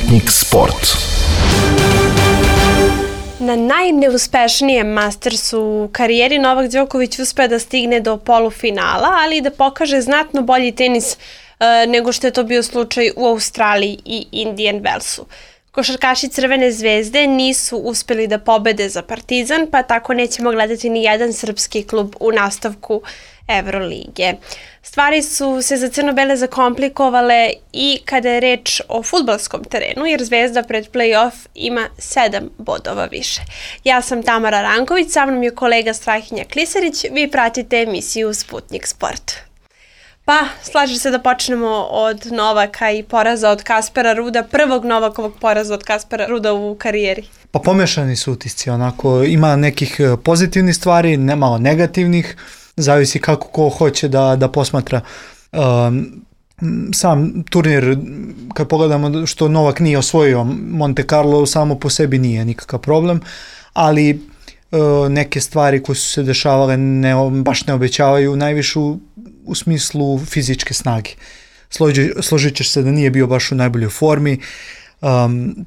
Sputnik Sport. Na najneuspešnijem Mastersu u karijeri Novak Đoković uspeo da stigne do polufinala, ali i da pokaže znatno bolji tenis nego što je to bio slučaj u Australiji i Indian Wellsu. Košarkaši Crvene zvezde nisu uspeli da pobede za Partizan, pa tako nećemo gledati ni jedan srpski klub u nastavku Evrolige. Stvari su se za crno-bele zakomplikovale i kada je reč o fudbalskom terenu, jer Zvezda pred play-off ima 7 bodova više. Ja sam Tamara Ranković, sa mnom je kolega Strahinja Klisarić, vi pratite emisiju Sputnik Sport. Pa, slažem se da počnemo od Novaka i poraza od Kaspera Ruda, prvog Novakovog poraza od Kaspera Ruda u karijeri. Pa pomešani su utisci, onako, ima nekih pozitivnih stvari, malo negativnih, zavisi kako ko hoće da posmatra. Sam turnir, kad pogledamo što Novak nije osvojio Monte Carlo, samo po sebi nije nikakav problem, ali neke stvari koje su se dešavale baš ne obećavaju najvišu u smislu fizičke snage. Složit ćeš se da nije bio baš u najboljoj formi,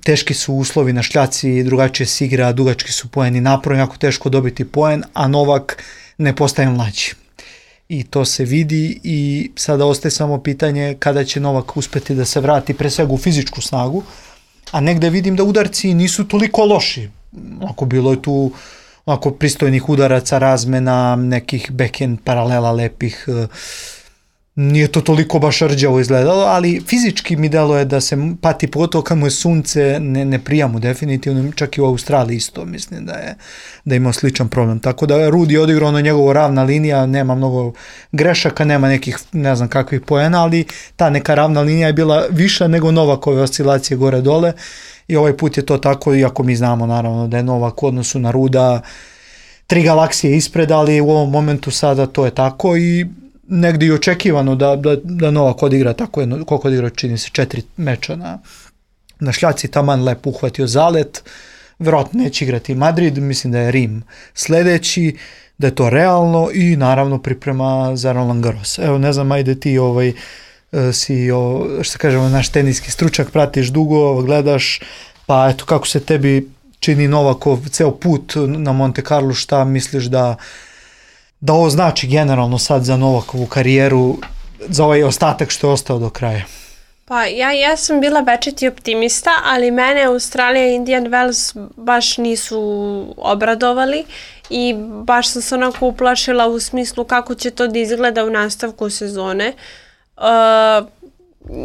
teški su uslovi na šljaci, drugačije se igra, dugački su poeni, naporno jako teško dobiti poen, a Novak ne postaje mlađi. I to se vidi i sada ostaje samo pitanje kada će Novak uspeti da se vrati pre svega u fizičku snagu, a negde vidim da udarci nisu toliko loši. Ako bilo je tu pristojnih udaraca, razmena, nekih backhand paralela lepih, nije to toliko baš rđavo izgledalo, ali fizički mi deluje da se pati, pogotovo kad mu je sunce, ne prija mu definitivno, čak i u Australiji isto mislim da je imao sličan problem. Tako da Rud je odigrao na njegovo ravna linija, nema mnogo grešaka, nema nekih ne znam kakvih poena, ali ta neka ravna linija je bila viša nego Novakove oscilacije gore dole i ovaj put je to tako, iako mi znamo naravno da je Novak u odnosu na Ruda 3 galaksije ispred, ali u ovom momentu sada to je tako i negdje i očekivano da Novak odigra tako jedno, koliko odigra, čini se 4 meča na šljaci, taman lepo uhvatio zalet, vjerojatno neće igrati Madrid, mislim da je Rim sledeći, da je to realno i naravno priprema za Roland Garros. Evo ne znam, ajde ti si, što kažemo, naš teniski stručak, pratiš dugo, gledaš, pa eto kako se tebi čini Novakov ceo put na Monte Carlo, šta misliš da ovo znači generalno sad za Novakovu karijeru, za ovaj ostatak što je ostao do kraja? Pa ja sam bila večiti optimista, ali mene Australija i Indian Wells baš nisu obradovali i baš sam se onako uplašila u smislu kako će to da izgleda u nastavku sezone.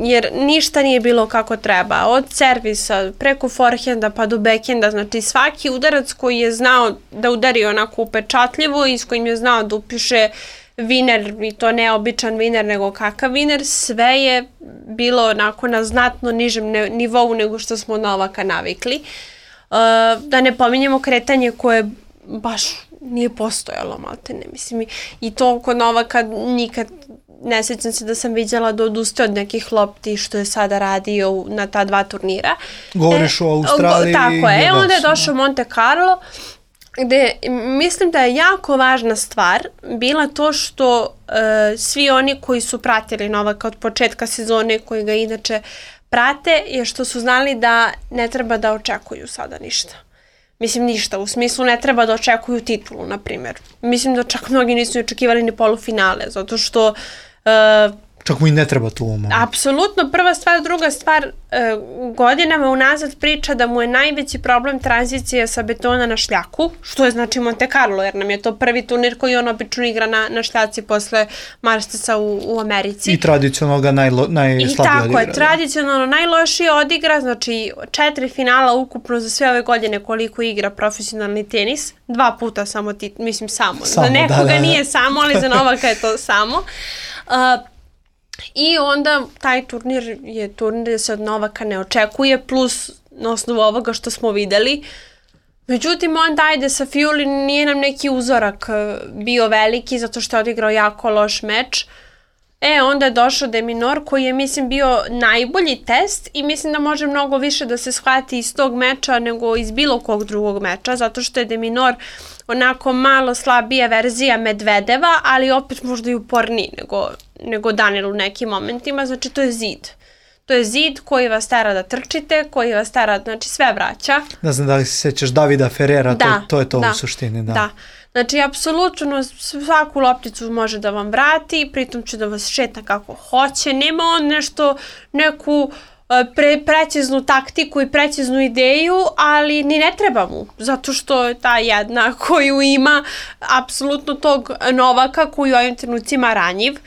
Jer ništa nije bilo kako treba, od servisa preko forehenda pa do backhenda, znači svaki udarac koji je znao da udari onako upečatljivo i s kojim je znao da upiše viner, i to ne običan viner nego kakav viner, sve je bilo onako na znatno nižem nivou nego što smo od Novaka navikli. Da ne pominjemo kretanje koje baš nije postojalo, maltene, mislim, i to kod Novaka nikad ne sjećam se da sam vidjela da odustaje od nekih lopti što je sada radio na ta 2 turnira. Govoriš o Australiji. Tako je, onda je došao Monte Carlo, gde mislim da je jako važna stvar bila to što svi oni koji su pratili Novaka od početka sezone, koji ga inače prate, je što su znali da ne treba da očekuju sada ništa. Mislim ništa, u smislu ne treba da očekuju titulu, na primjer. Mislim da čak mnogi nisu očekivali ni polufinale, zato što čak mu i ne treba tu ovom. Apsolutno, prva stvar, druga stvar, godinama unazad priča da mu je najveći problem tranzicija sa betona na šljaku, što je znači Monte Carlo, jer nam je to prvi turnir koji on obično igra na šljaci posle Mastersa u Americi. I tradicionalno ga najslabije odigra. I tako je, tradicionalno najlošije odigra, znači 4 finala ukupno za sve ove godine koliko igra profesionalni tenis, 2 puta samo, mislim samo, za nekoga nije samo, ali za Novaka je to samo. I onda taj turnir je turnir gdje se od Novaka ne očekuje, plus na osnovu ovoga što smo videli. Međutim, onda ajde sa Fiuli nije nam neki uzorak bio veliki zato što je odigrao jako loš meč. Onda je došao De Minaur koji je, mislim, bio najbolji test i mislim da može mnogo više da se shvati iz tog meča nego iz bilo kog drugog meča, zato što je De Minaur onako malo slabija verzija Medvedeva, ali opet možda i uporniji nego Daniel u nekim momentima, znači to je zid. To je zid koji vas tera da trčite, koji vas tera, znači sve vraća. Ne znam da li se sećaš Davida Ferrera, to je to u suštini. Da. Znači, apsolutno svaku lopticu može da vam vrati, pritom će da vas šeta kako hoće. Nema on neku preciznu taktiku i preciznu ideju, ali ni ne treba mu, zato što je ta jedna koju ima apsolutno tog Novaka koji u ovim trenucima ranjiv,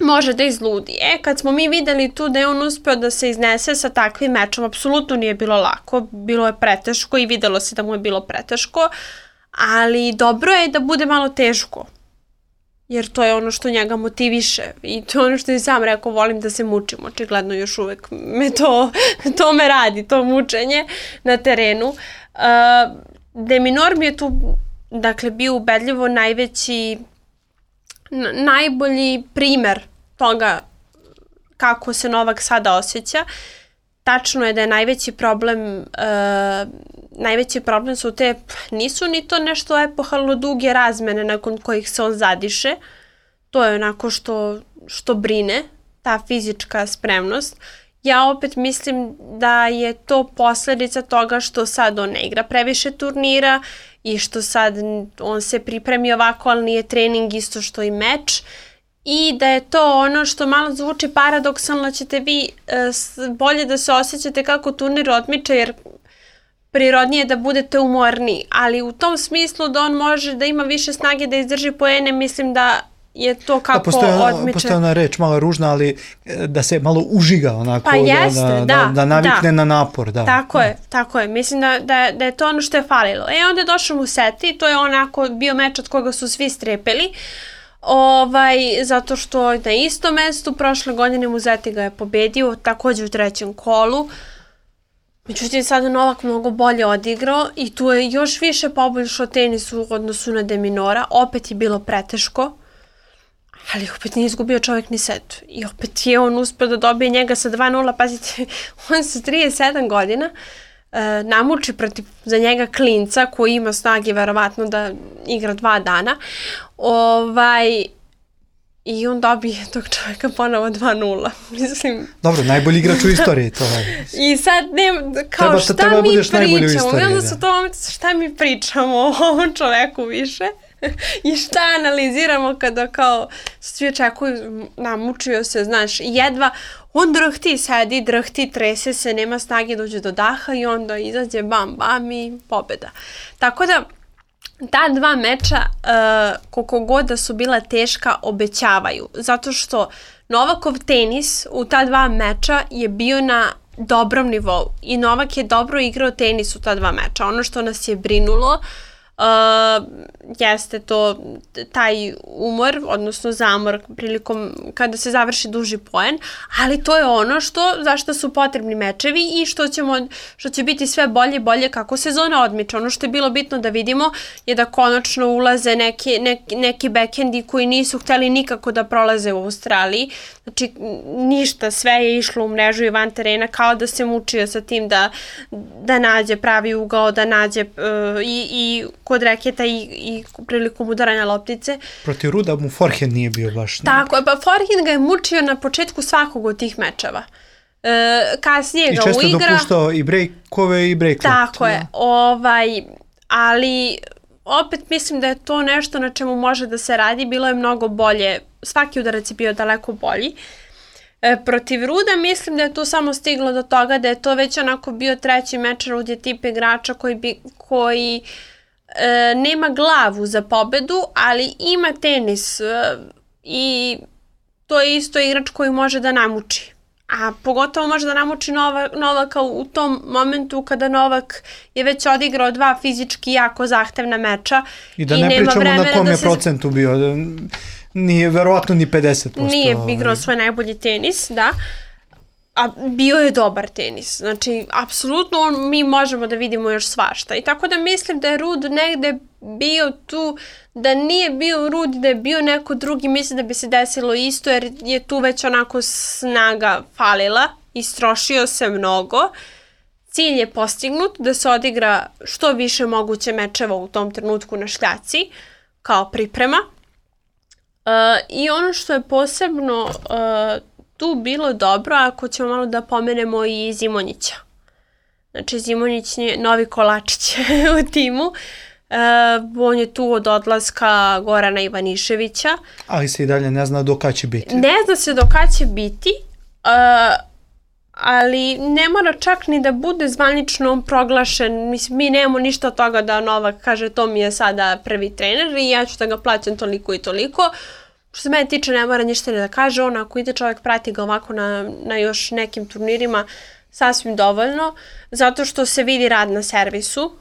može da izludi. Kad smo mi videli tu da je on uspeo da se iznese sa takvim mečom, apsolutno nije bilo lako, bilo je preteško i videlo se da mu je bilo preteško, ali dobro je da bude malo teško, jer to je ono što njega motiviše i to je ono što je sam rekao, volim da se mučim, očigledno još uvek to me radi, to mučenje na terenu. De-Minaur mi je tu, dakle, bio ubedljivo najbolji primer toga kako se Novak sada osjeća. Tačno je da je najveći problem su nisu ni to nešto epohalno duge razmene nakon kojih se on zadiše. To je onako što brine, ta fizička spremnost. Ja opet mislim da je to posledica toga što sad on ne igra previše turnira i što sad on se pripremi ovako, ali nije trening isto što i meč. I da je to ono što malo zvuči paradoksalno, ćete vi bolje da se osjećate kako turnir odmiče, jer prirodnije je da budete umorniji, ali u tom smislu da on može da ima više snage da izdrži poene, mislim da je to kako odmiče. Postoje ona reč malo ružna, ali da se malo užiga onako, pa jeste, da navikne na napor. Da. Tako je. Mislim da je to ono što je falilo. Onda je došao mu set i to je onako bio meč od koga su svi strepeli. Zato što na istom mestu prošle godine Musetti ga je pobedio, takođe u trećem kolu. Međutim, sada Novak mnogo bolje odigrao i tu je još više poboljšao tenis u odnosu na De-Minaura. Opet je bilo preteško, ali opet nije izgubio čovjek ni set. I opet je on uspio da dobije njega sa 2-0. Pazite, on sa 37 godina namuči za njega klinca koji ima snage verovatno da igra 2 dana. I on dobije tog čovjeka ponovo 2-0. Mislim... Dobro, najbolji igrač u istoriji to je. I sad, kao šta mi pričamo? I onda su to momenti, šta mi pričamo o ovom čoveku više? I šta analiziramo kada kao svi očekuju, namučio se, znaš, jedva, on drhti, trese se, nema snage, dođe do daha i onda izađe bam i pobjeda. Tako da, ta 2 meča, koliko god da su bila teška, obećavaju. Zato što Novakov tenis u ta 2 meča je bio na dobrom nivou. I Novak je dobro igrao tenis u ta 2 meča. Ono što nas je brinulo jeste to taj umor, odnosno zamor prilikom kada se završi duži poen, ali to je ono zašto su potrebni mečevi i što će biti sve bolje i bolje kako sezona odmiče. Ono što je bilo bitno da vidimo je da konačno ulaze neki backhendi koji nisu hteli nikako da prolaze u Australiji. Znači ništa, sve je išlo u mrežu i van terena, kao da se mučio sa tim da nađe pravi ugao, da nađe i kod reketa i prilikom udaranja loptice. Protiv Ruda mu forehand nije bio baš. Tako je, pa forehand ga je mučio na početku svakog od tih mečeva. Kasnije ga uigra. I često dopuštao i breakove i break lopte. Tako je, ali opet mislim da je to nešto na čemu može da se radi, bilo je mnogo bolje, svaki udarac je bio daleko bolji. Protiv Ruda mislim da je tu samo stiglo do toga da je to već onako bio treći meč. Rud je tip igrača koji nema glavu za pobedu, ali ima tenis i to je isto igrač koji može da namuči. A pogotovo može da namuči Novaka u tom momentu kada Novak je već odigrao 2 fizički jako zahtevna meča. I da ne pričamo na kom je procentu bio, nije verovatno ni 50%. Nije igrao svoj najbolji tenis, da. A bio je dobar tenis. Znači, apsolutno mi možemo da vidimo još svašta. I tako da mislim da je Rud negde bio tu, da nije bio Rud, da je bio neko drugi, mislim da bi se desilo isto, jer je tu već onako snaga falila, istrošio se mnogo. Cilj je postignut da se odigra što više moguće mečeva u tom trenutku na šljaci, kao priprema. I ono što je posebno tu bilo dobro ako ćemo malo da pomenemo i Zimonjića. Znači Zimonjić je novi kolačić u timu. On je tu od odlaska Gorana Ivaniševića. Ali se i dalje ne zna do kada će biti. Ne zna se do kada će biti, ali ne mora čak ni da bude zvanično proglašen. Mislim, mi nemamo ništa od toga da Novak kaže to mi je sada prvi trener i ja ću da ga plaćam toliko i toliko. Što se mene tiče, ne mora ništa ni da kaže. On, ako ide čovjek, prati ga ovako na još nekim turnirima, sasvim dovoljno, zato što se vidi rad na servisu.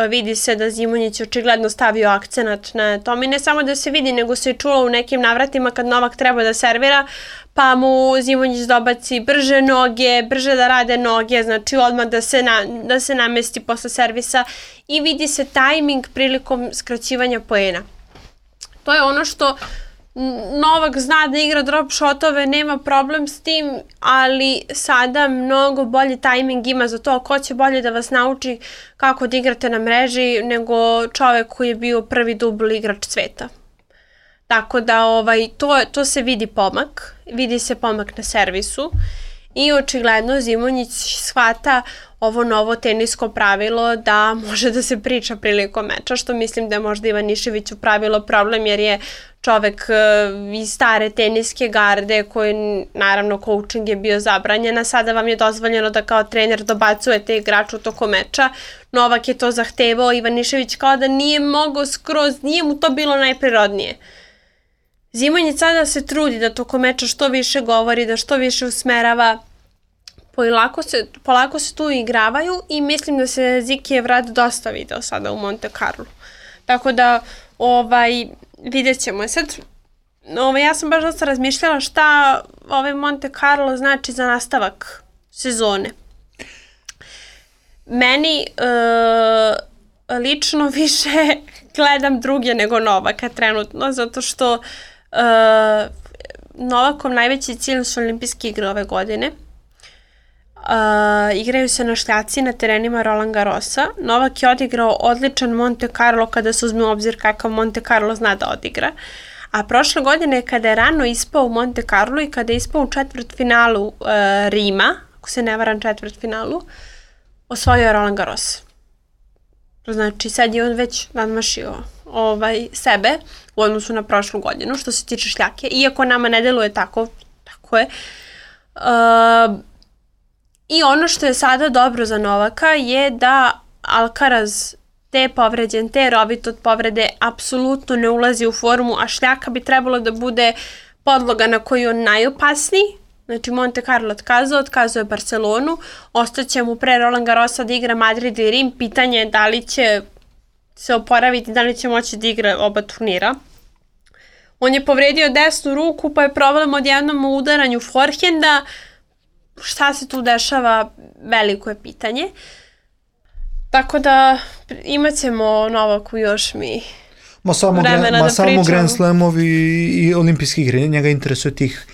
Vidi se da Zimonjić očigledno stavio akcenat na tom i ne samo da se vidi, nego se i čulo u nekim navratima kad Novak treba da servira, pa mu Zimonjić dobaci brže noge, brže da rade noge, znači odmah da se namesti posle servisa i vidi se tajming prilikom skraćivanja poena. To je ono što Novak zna da igra drop shotove, nema problem s tim, ali sada mnogo bolji tajming ima za to. Ko će bolje da vas nauči kako da igrate na mreži nego čovek koji je bio prvi dubl igrač sveta. Tako da to se vidi pomak, vidi se pomak na servisu i očigledno Zimonjić shvata ovo novo tenisko pravilo da može da se priča prilikom meča, što mislim da je možda Ivaniševiću pravilo problem jer je čovek iz stare teniske garde koji naravno coaching je bio zabranjen, a sada vam je dozvoljeno da kao trener dobacujete igraču tokom meča. Novak je to zahtevao, Ivanišević kao da nije mogao skroz, nije mu to bilo najprirodnije. Zimonjić sada se trudi da tokom meča što više govori, da što više usmerava, polako se tu igravaju i mislim da se Zikijev rad dosta video sada u Monte Carlo. Tako da, vidjet ćemo. Sad, ja sam baš dosta razmišljala šta Monte Carlo znači za nastavak sezone. Meni lično više gledam druge nego Novaka trenutno, zato što Novakov najveći cilj su olimpijske igre ove godine. Igraju se na šljaci na terenima Roland Garrosa. Novak je odigrao odličan Monte Carlo kada se uzme u obzir kakav Monte Carlo zna da odigra. A prošle godine kada je rano ispao u Monte Carlo i kada je ispao u četvrtfinalu Rima, ako se ne varam četvrtfinalu, osvojio je Roland Garros. Znači sad je on već nadmašio sebe u odnosu na prošlu godinu što se tiče šljake. Iako nama ne deluje tako je. I ono što je sada dobro za Novaka je da Alcaraz te povređen, te rovit od povrede apsolutno ne ulazi u formu, a šljaka bi trebalo da bude podloga na koju on najopasniji. Znači Monte Carlo otkazuje Barcelonu, ostaće mu pre Roland Garrosa da igra Madrid i Rim, pitanje je da li će se oporaviti, da li će moći da igra oba turnira. On je povredio desnu ruku, pa je problem odjednom u udaranju forehenda. Šta se tu dešava, veliko je pitanje. Tako da imat ćemo Novaku još mi vremena da pričamo. Samo Grand Slamovi i olimpijski igre, njega interesuje tih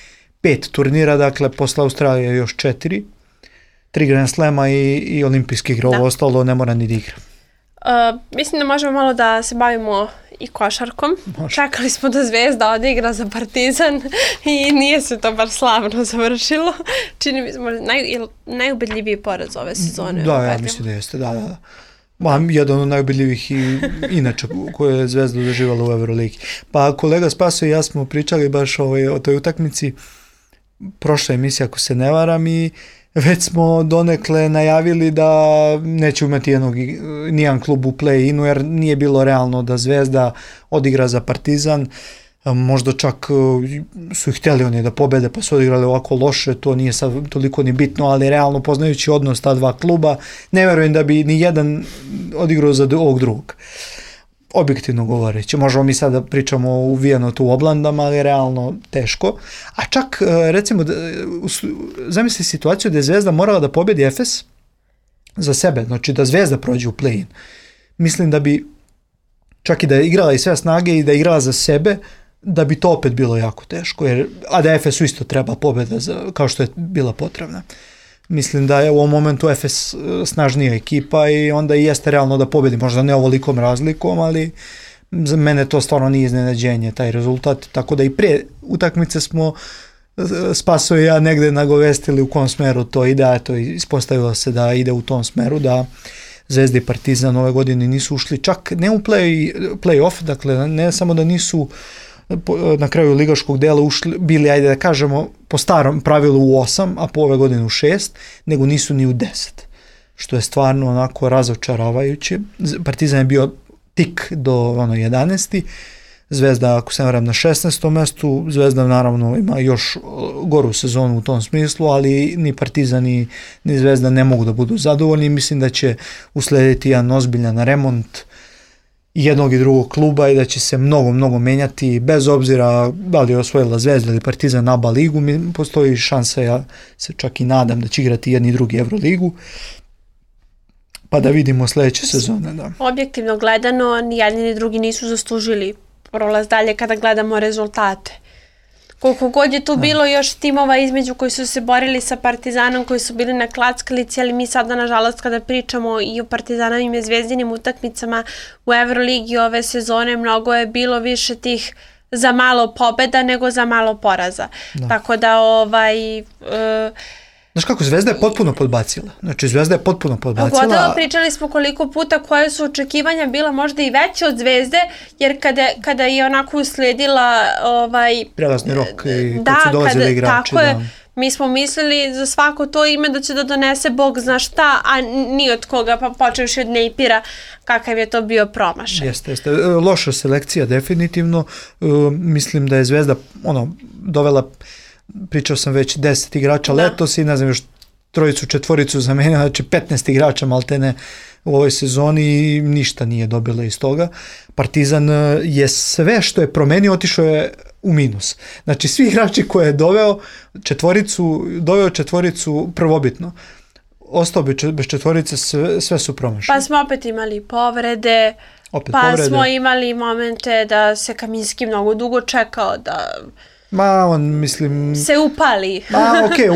5 turnira, dakle posle Australije još 4 Grand Slama i olimpijski igre, ovo ostalo ne mora ni da igra. Mislim da možemo malo da se bavimo i košarkom. Čekali smo da Zvezda odigra za Partizan i nije se to bar slavno završilo. Čini mi se najubedljiviji poraz ove sezone. Da, ja mislim da jeste, da. Jedan od najubedljivih i inače koje je Zvezda doživala u Euroligi. Pa kolega Spaso i ja smo pričali baš o toj utakmici, prošla emisija ako se ne varam, i već smo donekle najavili da neće imati nijedan klub u play-inu jer nije bilo realno da Zvezda odigra za Partizan. Možda čak su ih htjeli oni da pobede pa su odigrali ovako loše, to nije sad toliko ni bitno, ali realno poznajući odnos ta dva kluba ne verujem da bi ni jedan odigrao za ovog drugog. Objektivno govoreći, možemo mi sada pričamo uvijeno tu u oblandama, ali realno teško. A čak, recimo, zamisli situaciju da je Zvezda morala da pobedi Efes za sebe, znači da Zvezda prođe u play-in. Mislim da bi, čak i da je igrala i sve snage i da je igrala za sebe, da bi to opet bilo jako teško, a da Efesu isto treba pobeda kao što je bila potrebna. Mislim da je u ovom momentu Efes snažnija ekipa i onda i jeste realno da pobedi, možda ne ovolikom razlikom, ali za mene to stvarno nije iznenađenje, taj rezultat, tako da i pre utakmice smo Spaso i ja negde nagovestili u kom smeru to ide, a to ispostavilo se da ide u tom smeru, da Zvezda i Partizan ove godine nisu ušli čak ne u play-off, dakle ne samo da nisu na kraju ligaškog dela ušli, bili, ajde da kažemo, po starom pravilu u 8, a po ove godine u 6, nego nisu ni u 10, što je stvarno onako razočaravajuće. Partizan je bio tik do 11. Zvezda, ako se ne varam, na 16. mestu. Zvezda naravno ima još goru sezonu u tom smislu, ali ni Partizan ni Zvezda ne mogu da budu zadovoljni. Mislim da će uslediti jedan ozbiljan remont jednog i drugog kluba i da će se mnogo menjati, bez obzira da li je osvojila Zvezda ili Partizan ABA ligu. Postoji šansa, ja se čak i nadam da će igrati jedni i drugi Euroligu, pa da vidimo sledeće sezone. Da. Objektivno gledano, ni jedni ni drugi nisu zaslužili prolaz dalje kada gledamo rezultate. Koliko god je tu bilo još timova između koji su se borili sa Partizanom, koji su bili na klackalici, ali mi sada, nažalost, kada pričamo i o Partizanovim i Zvezdinim utakmicama u Euroligi ove sezone, mnogo je bilo više tih za malo pobeda nego za malo poraza. Da. Tako da Znaš kako, Zvezda je potpuno podbacila. Znači, Zvezda je potpuno podbacila. Pogotovo pričali smo koliko puta koje su očekivanja bila možda i veće od Zvezde, jer kada je onako usledila prelazni rok i kad su dolazili igrači. Tako je, mi smo mislili za svako to ime da će da donese Bog zna šta, a ni od koga, pa počevši od Nejpira, kakav je to bio promašaj. Jeste. Loša selekcija, definitivno. Mislim da je Zvezda dovela, pričao sam već 10 igrača letos i ne znam još 3-4 zamenila, znači 15 igrača maltene u ovoj sezoni i ništa nije dobila iz toga. Partizan je sve što je promenio otišao je u minus. Znači svi igrači koje je doveo četvoricu prvobitno. Ostao bi bez četvorice, sve su promašali. Pa smo opet imali povrede, smo imali momente da se Kaminski mnogo dugo čekao da se upali.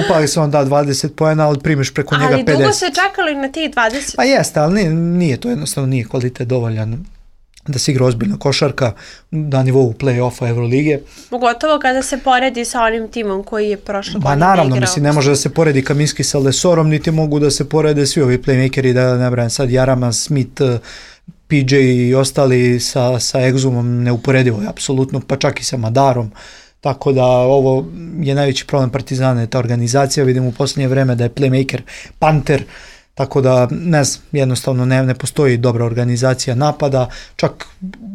Upali se on 20 poena, ali primiš preko njega 50. Ali dugo se čekalo i na tih 20. Pa jeste, ali nije to jednostavno, nije kvalitet dovoljan da se igra ozbiljna košarka na nivou play-offa Evrolige. Pogotovo kada se poredi sa onim timom koji je prošle godine igrao. Naravno, ne može da se poredi Kaminski sa Lesorom, niti mogu da se porede svi ovi playmakeri, da ne brajem sad Jarama, Smith, PJ i ostali sa Exumom, neuporedivo je apsolutno, pa čak i sa Madarom. Tako da ovo je najveći problem Partizana, ta organizacija. Vidimo u posljednje vreme da je playmaker panter, tako da jednostavno ne postoji dobra organizacija napada. Čak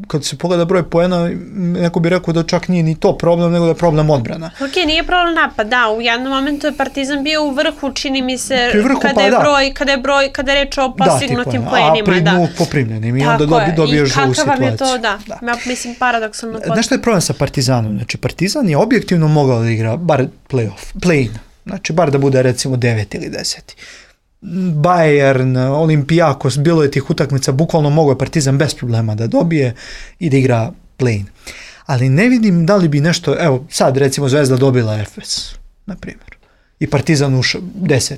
kad se pogleda broj poena, neko bi rekao da čak nije ni to problem, nego da je problem odbrana. Nije problem napad, da, u jednom momentu je Partizan bio u vrhu, čini mi se, kada je reč o postignutim poenima. A pri dnu poprimljenim i onda dobiješ žuvu situaciju. I kakav vam je to, mislim, paradoksalno. Znaš što je problem sa Partizanom? Znači, Partizan je objektivno mogao da igra bar play-in, znači bar da bude recimo 9 ili 10. Bayern, Olympiakos, bilo je tih utakmica, bukvalno mogao je Partizan bez problema da dobije i da igra play-in. Ali ne vidim da li bi nešto, evo sad recimo Zvezda dobila Efes, na primjer, i Partizan ušao 10.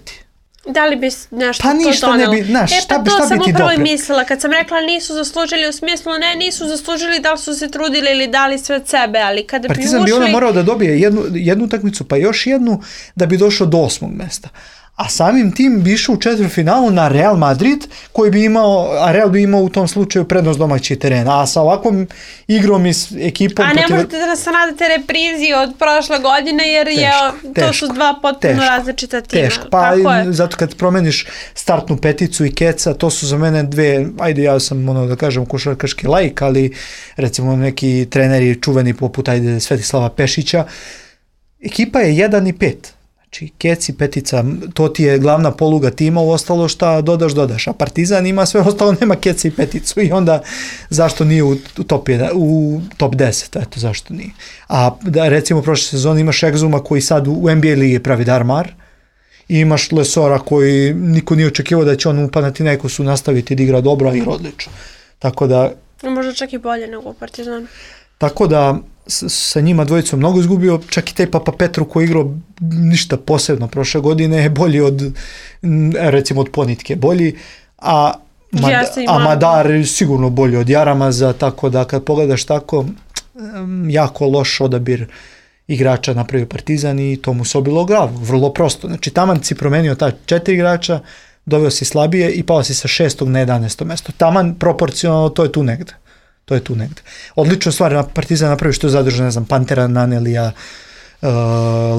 Da li bi nešto to donelo? Šta bi ti dopre? To sam upravo i mislila, kad sam rekla nisu zaslužili, u smislu nisu zaslužili da li su se trudili ili dali sve od sebe, ali kada Partizan bi ušli... bi morao da dobije jednu utakmicu, pa još jednu, da bi došao do 8. mesta. A samim tim bi išao u četvrtfinalu na Real Madrid, a Real bi imao u tom slučaju prednost domaćih terena. A sa ovakvom igrom i ekipom... A ne možete da se nadate reprizi od prošle godine, jer to su dva potpuno različita tima. Teško, pa zato kad promeniš startnu peticu i keca, to su za mene dve, ajde ja sam da kažem košarkaški laik, ali recimo neki treneri čuveni poput Svetislava Pešića, ekipa je 1 i 5. Znači, kec i petica, to ti je glavna poluga tima, u ostalo šta dodaš, a Partizan ima sve ostalo, nema kec i peticu i onda zašto nije u top 10, eto zašto nije. A da recimo prošle sezone imaš Exuma koji sad u NBA ligi pravi darmar i imaš Lesora koji niko nije očekivao da će on u Panathinaikosu nastaviti da igra dobro, i odlično. Tako da... Možda čak i bolje nego u Partizanu. Tako da sa njima dvojicom mnogo izgubio, čak i taj Papa Petru koji igrao ništa posebno prošle godine je bolji recimo od Ponitke bolji, a Madar sigurno bolji od Jaramaza, tako da kad pogledaš tako, jako loš odabir igrača napravio Partizan i to mu se obilo u glavu. Vrlo prosto. Znači, taman si promenio ta 4 igrača, doveo si slabije i pao si sa 6. na 11. mesto. Taman proporcionalno, to je tu negde. Odlično stvar, Partizan napravi što je zadržao, ne znam, Pantera, Nanelija,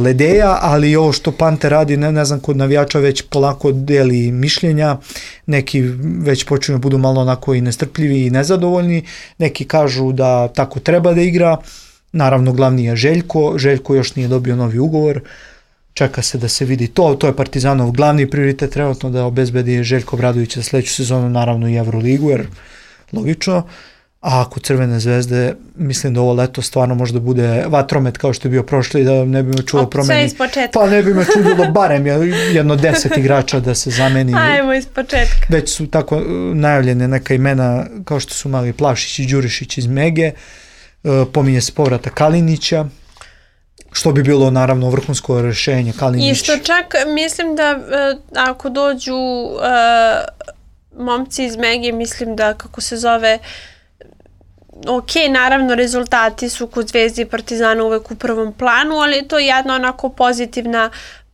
Ledeja, ali ovo što Panter radi, ne znam, kod navijača već polako deli mišljenja, neki već počinju budu malo onako i nestrpljivi i nezadovoljni, neki kažu da tako treba da igra, naravno glavni je Željko još nije dobio novi ugovor, čeka se da se vidi to je Partizanov glavni prioritet trenutno, da obezbedi Željko Obradović za sledeću sezonu, naravno i Evroligu, jer logično. A kod Crvene zvezde, mislim da ovo leto stvarno možda bude vatromet kao što je bio prošli, da ne bi me čulo promeni. Pa ne bi me čudilo barem jedno 10 igrača da se zameni. Ajmo iz početka. Već su tako najavljene neka imena kao što su mali Plavšić i Đurišić iz Mege. Pominje se povrata Kalinića, što bi bilo naravno vrhunsko rešenje. Kalinić. I što čak mislim da ako dođu momci iz Mege, mislim da kako se zove, ok, naravno rezultati su kod Zvezde i Partizana uvek u prvom planu, ali to je jedna onako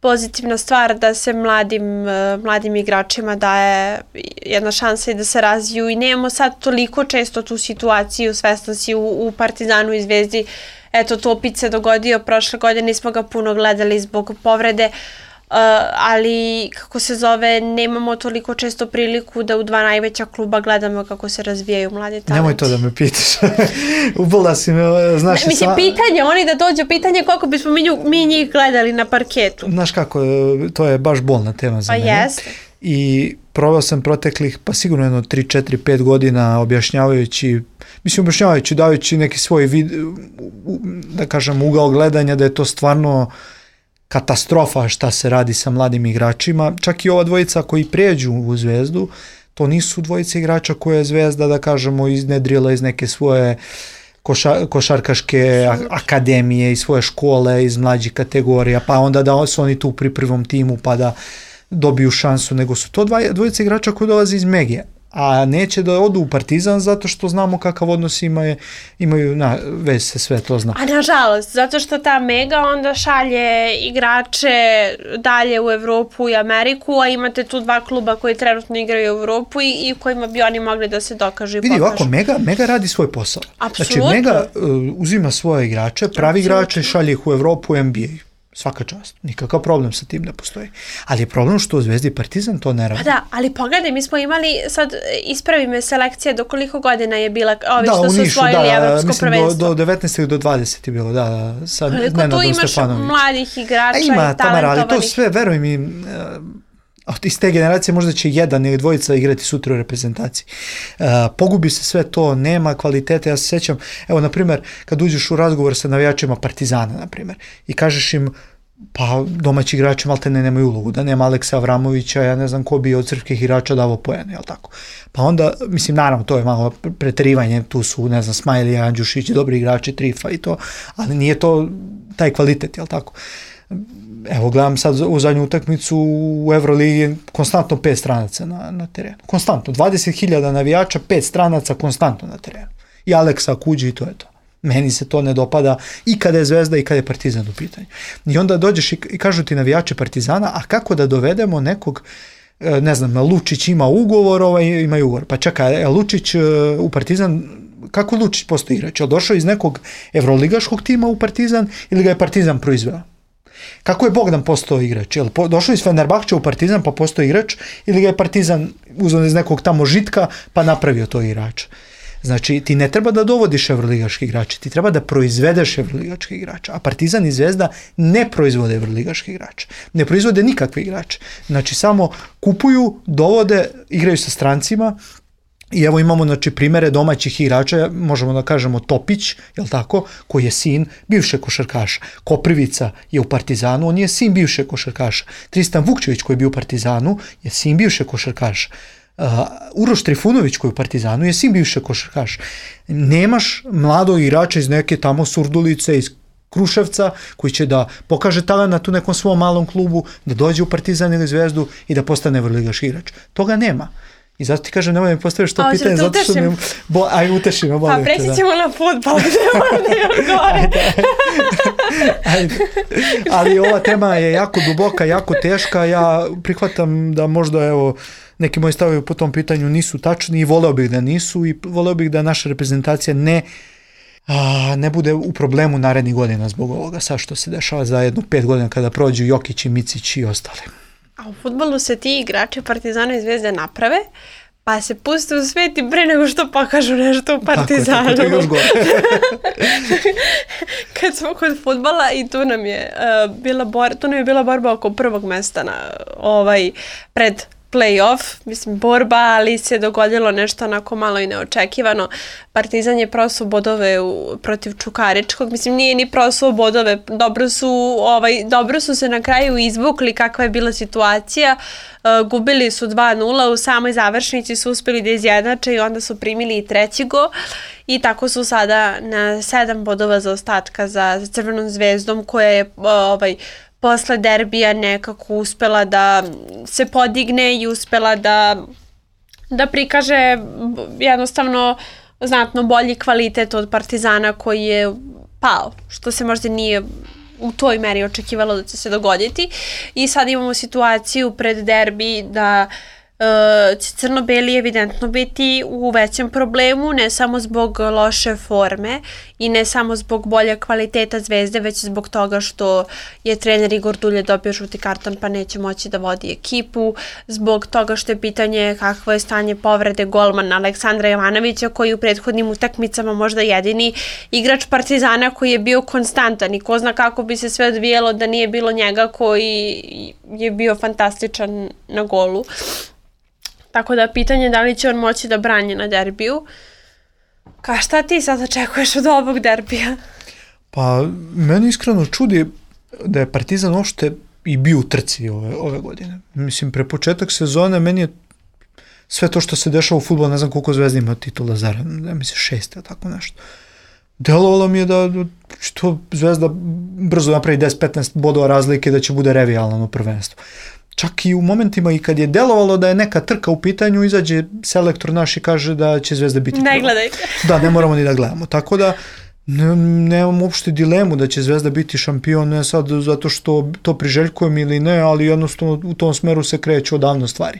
pozitivna stvar da se mladim igračima daje jedna šansa i da se razviju i nemamo sad toliko često tu situaciju, svesno si u Partizanu i Zvezdi, eto to opet se dogodio, prošle godine nismo ga puno gledali zbog povrede, ali kako se zove, nemamo toliko često priliku da u dva najveća kluba gledamo kako se razvijaju mladi talenti. Nemoj to da me pitaš. Ubila si me, znaš... Mislim, pitanje, oni da dođu, pitanje koliko bismo mi njih gledali na parketu. Znaš kako, to je baš bolna tema za mene. Pa jeste. I probao sam proteklih, pa sigurno 3, 4, 5 godina objašnjavajući, dajući neki svoj da kažem, ugao gledanja, da je to stvarno katastrofa šta se radi sa mladim igračima. Čak i ova dvojica koji prijeđu u Zvezdu, to nisu dvojice igrača koje je Zvezda, da kažemo, iznedrila iz neke svoje košarkaške akademije, iz svoje škole, iz mlađih kategorija, pa onda da su oni tu pri prvom timu pa da dobiju šansu, nego su to dvojice igrača koji dolaze iz Megije, a neće da odu u Partizan zato što znamo kakav odnos imaju, već se sve to zna. A nažalost, zato što ta Mega onda šalje igrače dalje u Evropu i Ameriku, a imate tu dva kluba koji trenutno igraju u Evropu i kojima bi oni mogli da se dokažu i pokažu. Vidi, ovako, Mega radi svoj posao. Apsolutno. Znači, Mega uzima svoje igrače, pravi igrače, šalje ih u Evropu i NBA. Svaka čast. Nikakav problem sa tim ne postoji. Ali je problem što u Zvezdi i Partizan to ne radi. Pa da, ali pogledaj, mi smo imali, sad ispravi me selekcija do koliko godina je bila, ovi što su osvojili evropsko prvenstvo. Do 19. do 20 je bilo, da. Sad koliko tu imaš mladih igrača i talentovanih. Tamara, ali to sve, veruj mi, iz te generacije možda će jedan ili dvojica igrati sutra u reprezentaciji. Pogubi se sve to, nema kvalitete. Ja se sjećam, evo, na primjer, kad uđeš u razgovor sa navijačima Partizana, na primjer, i kažeš im, pa domaći igrači maltene nemaju ulogu, da nema Aleksa Avramovića, ja ne znam ko bi od srpskih igrača davo poene, jel tako? Pa onda, mislim, naravno, to je malo preterivanje, tu su, ne znam, Smajlija, Andjušić, dobri igrači, Trifa i to, ali nije to taj kvalitet, jel tako? Evo, gledam sad u zadnju utakmicu u Evroligi, konstantno 5 stranaca na terenu. Konstantno, 20.000 navijača, 5 stranaca konstantno na terenu. I Aleksa Kuđi i to je to. Meni se to ne dopada i kada je Zvezda i kada je Partizan u pitanju. I onda dođeš i kažu ti navijači Partizana, a kako da dovedemo nekog, ne znam, Lučić ima ugovor, imaju ugovor. Pa čekaj, Lučić u Partizan, kako Lučić postoji igrač? Je došao iz nekog evroligaškog tima u Partizan ili ga je Partizan proizveo? Kako je Bogdan postao igrač? Je li došao iz Fenerbahče u Partizan pa postao igrač ili ga je Partizan uzeo iz nekog tamo Žitka pa napravio to igrača? Znači, ti ne treba da dovodiš evroligaški igrače, ti treba da proizvedeš evroligaški igrača, a Partizan i Zvezda ne proizvode evroligaški igrače, ne proizvode nikakve igrače. Znači, samo kupuju, dovode, igraju sa strancima. I evo imamo, znači, primere domaćih igrača, možemo da kažemo Topić, jel tako, koji je sin bivšeg košarkaša. Koprivica je u Partizanu, on je sin bivšeg košarkaša. Tristan Vukčević koji je bio u Partizanu je sin bivšeg košarkaša. Uroš Trifunović koji je u Partizanu je sin bivšeg košarkaša. Nemaš mladog igrača iz neke tamo Surdulice, iz Kruševca, koji će da pokaže talent u nekom svom malom klubu, da dođe u Partizan ili Zvezdu i da postane evroligaški igrač. Toga nema. I zato ti kažem, nemoj mi postaviš to pitanje, zato što mi... Aj, uteši me, molim te. Pa preći ćemo na fudbal, gdje ovdje gore. Ali ova tema je jako duboka, jako teška. Ja prihvatam da možda neki moji stavovi po tom pitanju nisu tačni i voleo bih da nisu i voleo bih da naša reprezentacija ne bude u problemu narednih godina zbog ovoga sad što se dešava za 5 godina kada prođu Jokić i Micić i ostali. A u fudbalu se ti igrači Partizana i Zvezde naprave, pa se puste u svet i pre nego što pokažu nešto u Partizanu. Tako, to je još gore. Kad smo kod fudbala i tu nam je bila borba oko prvog mesta pred play-off, mislim borba, ali se dogodilo nešto onako malo i neočekivano. Partizan je prosuo bodove protiv Čukaričkog, mislim nije ni prosuo bodove, dobro su se na kraju izvukli kakva je bila situacija, gubili su 2-0, u samoj završnici su uspeli da izjednače i onda su primili i treći gol i tako su sada na 7 bodova zaostatka za Crvenom zvezdom koja je posle derbija nekako uspela da se podigne i uspela da prikaže jednostavno znatno bolji kvalitet od Partizana koji je pao, što se možda nije u toj meri očekivalo da će se dogoditi. I sad imamo situaciju pred derbi da će crno-beli evidentno biti u većem problemu, ne samo zbog loše forme i ne samo zbog bolje kvaliteta Zvezde, već zbog toga što je trener Igor Dulje dobio žuti karton pa neće moći da vodi ekipu, zbog toga što je pitanje kakvo je stanje povrede golmana Aleksandra Jovanovića koji u prethodnim utakmicama možda jedini igrač Partizana koji je bio konstantan i ko zna kako bi se sve odvijelo da nije bilo njega koji je bio fantastičan na golu. Tako da pitanje je da li će on moći da brani na derbiju. Šta ti sad očekuješ od ovog derbija? Pa meni iskreno čudi da je Partizan uopšte i bio u trci ove godine. Mislim, pre početak sezone meni je sve to što se dešava u fudbalu, ne znam koliko Zvezda ima titula zaredno, mislim 6, tako nešto. Delovalo mi je da što Zvezda brzo napravi 10-15 bodova razlike da će bude revijalno prvenstvo. Čak i u momentima i kad je delovalo da je neka trka u pitanju, izađe selektor naš i kaže da će Zvezda biti prva. Ne gledajte. Da, ne moramo ni da gledamo. Tako da nemam uopšte dilemu da će Zvezda biti šampion, ne sad zato što to priželjkujem ili ne, ali jednostavno u tom smeru se kreću odavno stvari.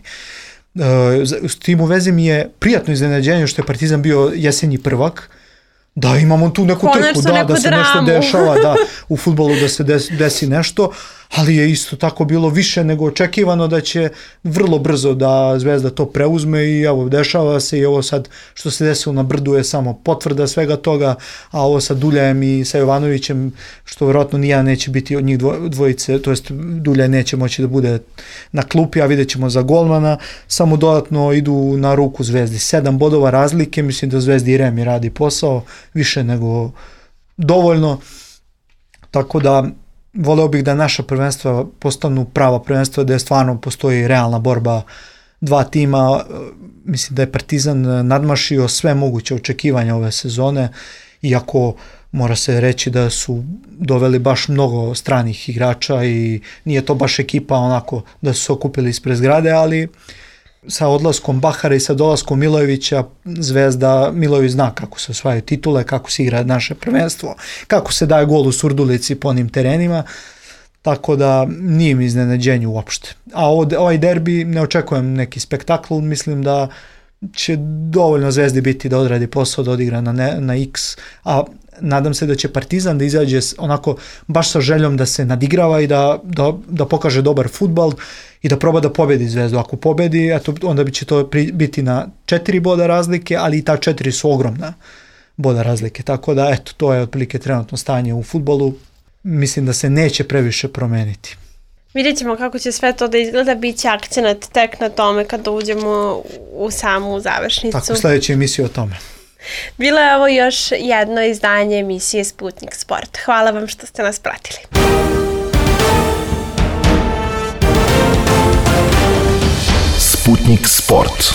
S tim u vezi mi je prijatno iznenađenje što je Partizan bio jesenji prvak, da imamo tu neku trku, da se nešto dešava, u fudbalu da se desi nešto, ali je isto tako bilo više nego očekivano da će vrlo brzo da Zvezda to preuzme i evo, dešava se i ovo sad što se desilo na Brdu je samo potvrda svega toga, a ovo sa Duljajem i sa Jovanovićem, što vjerojatno nijedan neće biti od njih dvojice, to jest Duljaj neće moći da bude na klupi, a vidjet ćemo za golmana, samo dodatno idu na ruku Zvezdi. 7 bodova razlike, mislim da Zvezdi i Remi radi posao, više nego dovoljno, tako da voleo bih da naša prvenstva postanu prava prvenstva, da je stvarno postoji realna borba dva tima. Mislim da je Partizan nadmašio sve moguće očekivanja ove sezone, iako mora se reći da su doveli baš mnogo stranih igrača i nije to baš ekipa onako da su se okupili ispred zgrade, ali sa odlaskom Bahara i sa dolaskom Milojevića, Zvezda, Milojević zna kako se osvajaju titule, kako se igra naše prvenstvo, kako se daje gol u Surdulici po onim terenima, tako da nije mi iznenađenje uopšte. A ovaj derbi ne očekujem neki spektakl, mislim da će dovoljno Zvezdi biti da odradi posao, da odigra na X, a nadam se da će Partizan da izađe onako baš sa željom da se nadigrava i da pokaže dobar fudbal i da proba da pobedi Zvezdu. Ako pobedi, onda će to biti na 4 boda razlike, ali i ta 4 su ogromna boda razlike. Tako da, to je otprilike trenutno stanje u fudbalu. Mislim da se neće previše promeniti. Vidjet ćemo kako će sve to da izgleda, bit će akcenat tek na tome kada uđemo u samu završnicu. Tako, sljedeća emisija o tome. Bilo je ovo još jedno izdanje emisije Sputnik Sport. Hvala vam što ste nas pratili. Sputnik Sport.